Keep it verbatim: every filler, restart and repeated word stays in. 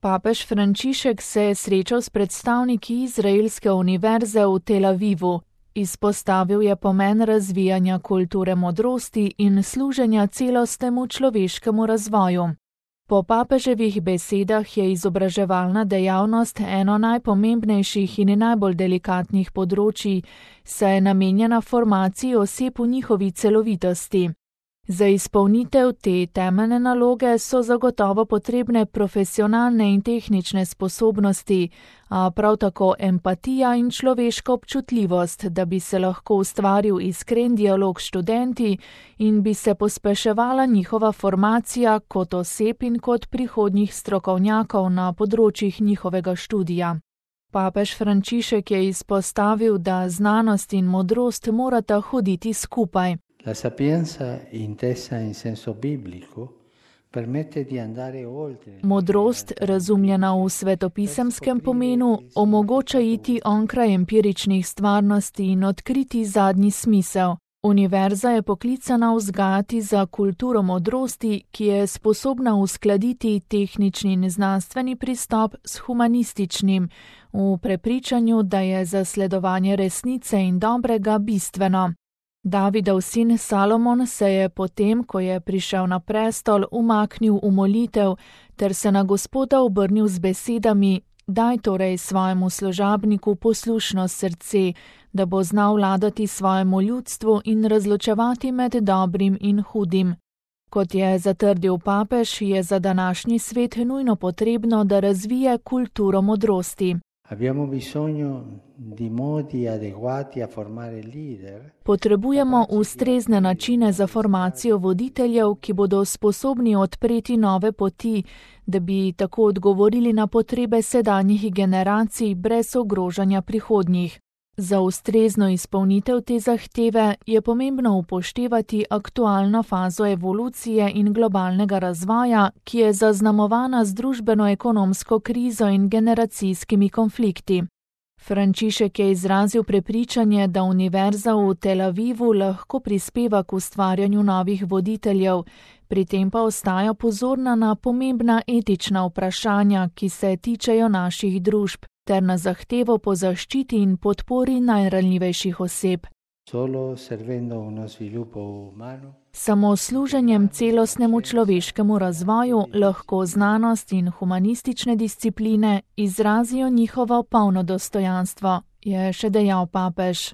Papež Frančišek se je srečal s predstavniki izraelske univerze v Tel Avivu. Izpostavil je pomen razvijanja kulture modrosti in služenja celostnemu človeškemu razvoju. Po papeževih besedah je izobraževalna dejavnost eno najpomembnejših in najbolj delikatnih področij, saj je namenjena formaciji oseb v njihovi celovitosti. Za izpolnitev te temeljne naloge so zagotovo potrebne profesionalne in tehnične sposobnosti, a prav tako empatija in človeška občutljivost, da bi se lahko ustvaril iskren dialog s študenti in bi se pospeševala njihova formacija kot oseb in kot prihodnjih strokovnjakov na področjih njihovega študija. Papež Frančišek je izpostavil, da znanost in modrost morata hoditi skupaj. La sapienza intesa in senso biblico permette di andare oltre. Modrost, razumljena v svetopisemskem pomenu, omogoča iti onkraj empiričnih stvarnosti in odkriti zadnji smisel. Univerza je poklicana vzgajati za kulturo modrosti, ki je sposobna uskladiti tehnični in znanstveni pristop s humanističnim, v prepričanju, da je zasledovanje resnice in dobrega bistveno. Davidov sin Salomon se je potem, ko je prišel na prestol, umaknil v molitev ter se na Gospoda obrnil z besedami: Daj torej svojemu služabniku poslušno srce, da bo znal vladati svojemu ljudstvu in razločevati med dobrim in hudim. Kot je zatrdil papež, je za današnji svet nujno potrebno, da razvije kulturo modrosti. Abbiamo bisogno di modi adeguati a formare leader. Potrebujemo ustrezne načine za formacijo voditeljev, ki bodo sposobni odpreti nove poti, da bi tako odgovorili na potrebe sedanjih generacij brez ogrožanja prihodnjih. Za ustrezno izpolnitev te zahteve je pomembno upoštevati aktualno fazo evolucije in globalnega razvoja, ki je zaznamovana z družbeno-ekonomsko krizo in generacijskimi konflikti. Frančišek je izrazil prepričanje, da univerza v Tel Avivu lahko prispeva k ustvarjanju novih voditeljev, pri tem pa ostaja pozorna na pomembna etična vprašanja, ki se tičejo naših družb, ter na zahtevo po zaščiti in podpori najranljivejših oseb. Solo servendo uno sviluppo umano. Samo služenjem celostnemu človeškemu razvoju lahko znanost in humanistične discipline izrazijo njihovo polno dostojanstvo, je še dejal papež.